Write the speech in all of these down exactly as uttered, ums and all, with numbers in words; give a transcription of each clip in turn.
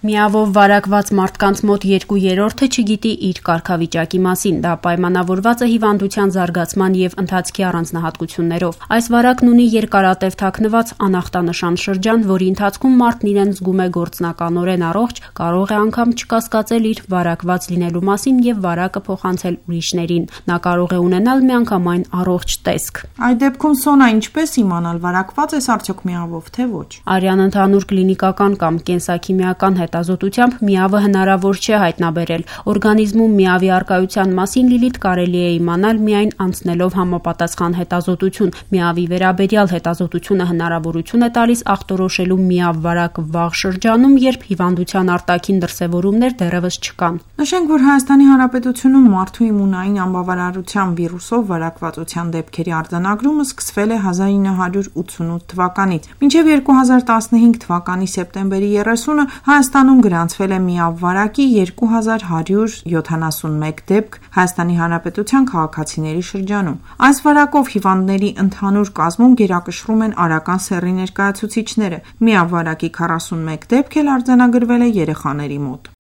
Միավով վարակված մարդկանց մոտ երկու երրորդը չգիտի իր կարգավիճակի մասին, դա պայմանավորված է հիվանդության զարգացման և ընթացքի առանձնահատկություններով։ Այս վարակն ունի երկարատև թաքնված անախտանշան շրջան, որի ընթացքում մարդն իրեն զգում է գործնականորեն առողջ, կարող է անգամ չկասկածել իր վարակված լինելու մասին և վարակը փոխանցել ուրիշներին։ Նա կարող է ունենալ միանգամայն առողջ տեսք։ Այդ դեպքում Սոնա, ինչպես իմանալ, վարակված ես արդյոք միավով, թե ոչ։ Արյան ընդհանուր կլինիկական կամ կենսաքիմիական հետազոտությամբ միավը հնարավոր չէ հայտնաբերել։ Օրգանիզմում միավի առկայության մասին Լիլիթ կարելի է իմանալ միայն անցնելով համապատասխան հետազոտություն։ Միավի վերաբերյալ հետազոտությունը հնարավորություն է տալիս ախտորոշելու միավ վարակը վաղ շրջանում, երբ հիվանդության արտաքին դրսևորումներ դեռևս չկան։ Նշենք, որ Հայաստանի Հանրապետությունում մարդու իմունային անբավարարության վիրուսով վարակվածության դեպքերի արձանագրումը սկսվել է հազար ինը հարյուր ութսունութ թվականից։ Մինչև երկու հազար տասնհինգ թվականի սեպտեմբերի երեսունը Հայաստանում գրանցվել է միավ վարակի երկու հազար հարյուր յոթանասունմեկ դեպք Հայաստանի Հանրապետության քաղաքացիների շրջանում։ Այս վարակով հիվանդների ընդհանուր կազմում գերակշռում են արական սեռի ներկայացուցիչները։ Միավ վարակի քառասունմեկ դեպք էլ արձանագրվել է երեխաների մոտ։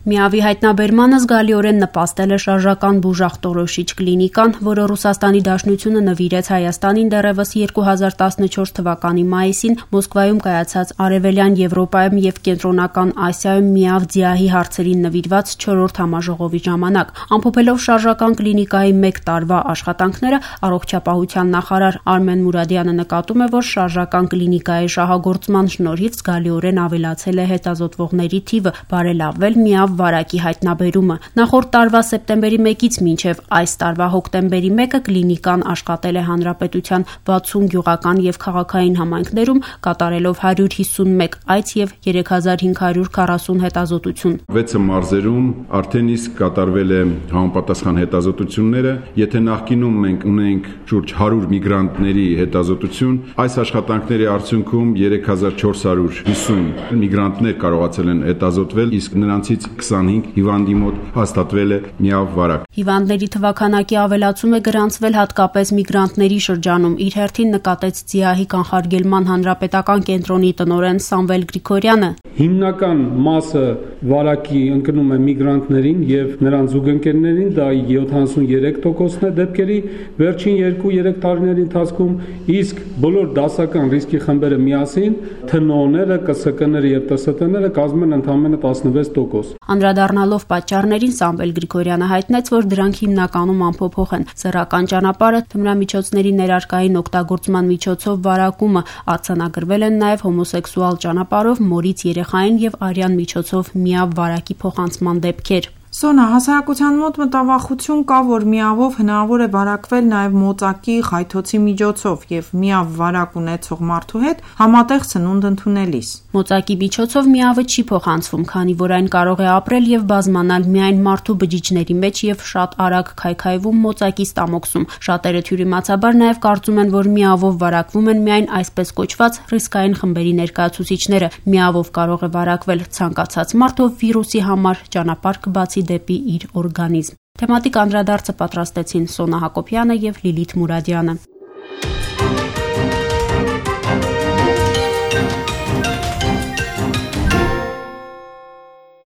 Միավի հայտնաբերմանը զգալիորեն նպաստել է շարժական բուժախտորոշիչ կլինիկան, որը Ռուսաստանի Դաշնությունը նվիրեց Հայաստանին դեռևս երկու հազար տասնչորս թվականի մայիսին Մոսկվայում կայացած Արևելյան Եվրոպայում և Կենտրոնական Ասիայում միավ ՁԻԱՀ-ի հարցերին նվիրված չորրորդ համաժողովի ժամանակ։ Ամփոփելով շարժական կլինիկայի մեկ տարվա աշխատանքները, առողջապահության նախարար Արմեն Մուրադյանը նկատում է, որ շարժական կլինիկայի շահագործման շնորհիվ զգալիորեն ավելացել է հետազոտվողների թիվը, բարելավվել միավ վարակի հայտնաբերումը։ Նախորդ տարվա սեպտեմբերի մեկից մինչև այս տարվա հոկտեմբերի մեկը կլինիկան աշխատել է հանրապետության վաթսուն գյուղական և քաղաքային համայնքներում, կատարելով հարյուր հիսունմեկ այց և երեք հազար հինգ հարյուր քառասուն հետազոտություն։ վեց մարզերում արդեն իսկ կատարվել է համապատասխան հետազոտությունները։ Եթե նախկինում մենք ունենք շուրջ հարյուր միգրանտների հետազոտություն, այս աշխատանքների արդյունքում երեք հազար չորս հարյուր հիսուն միգրանտներ կարողացել են հետազոտվել, իսկ նրանցից քսանհինգ հիվանդի մոտ հաստատվել է միավ վարակ։ Հիվանդների թվաքանակի ավելացում է գրանցվել հատկապես միգրանտների շրջանում, իր հերթին նկատեց ՁԻԱՀ-ի կանխարգելման հանրապետական կենտրոնի տնօրեն Սամվել Գրիգորյանը։ Հիմնական մասը վարակի ընկնում է միգրանտներին և նրանց զուգընկերներին, դա յոթանասունյերեք տոկոսն է դեպքերի վերջին երկու-երեք տարիների ընթացքում, իսկ բոլոր դասական ռիսկի խմբերը միասին, ԹՆՕ-ները, ԿՍԿ-ները և ՏՍՏ-ները կազմում են ընդամենը տասնվեց տոկոս։ Անդրադառնալով պատճառներին Սամվել Գրիգորյանը հայտնեց, որ դրանք հիմնականում անփոփոխ են՝ սեռական ճանապարհը, թմրամիջոցների ներարկային օգտագործման միջոցով վարակումը, արձանագրվել են նաև հոմոսեքսուալ ճանապարհով մորից երեխային և արյան միջոցով միավ վարակի փոխանցման դեպքեր։ Սոնա, հասարակության մոտ մտավախություն կա, որ միավով հնարավոր է վարակվել նաև մոծակի, խայթոցի միջոցով և միավ վարակ ունեցող մարդու հետ համատեղ սնունդ ընդունելիս։ Մոծակի միջոցով միավը չի փոխանցվում, քանի որ այն կարող է ապրել և բազմանալ միայն մարդու բջիջների մեջ և շատ արագ քայքայվում մոծակի ստամոքսում։ Շատերը թյուրիմացաբար նաև կարծում են, որ միավով վարակվում են միայն այսպես կոչված ռիսկային խմբերի ներկայացուցիչները։ Միավով կարող է վարակվել ցանկացած մարդ, ով վիրուսի համար ճանապարհ կբացի դեպի իր օրգանիզմ։ Թեմատիկ անդրադարձը պատրաստեցին Սոնա Հակոբյանը և Լիլիթ Մուրադյանը։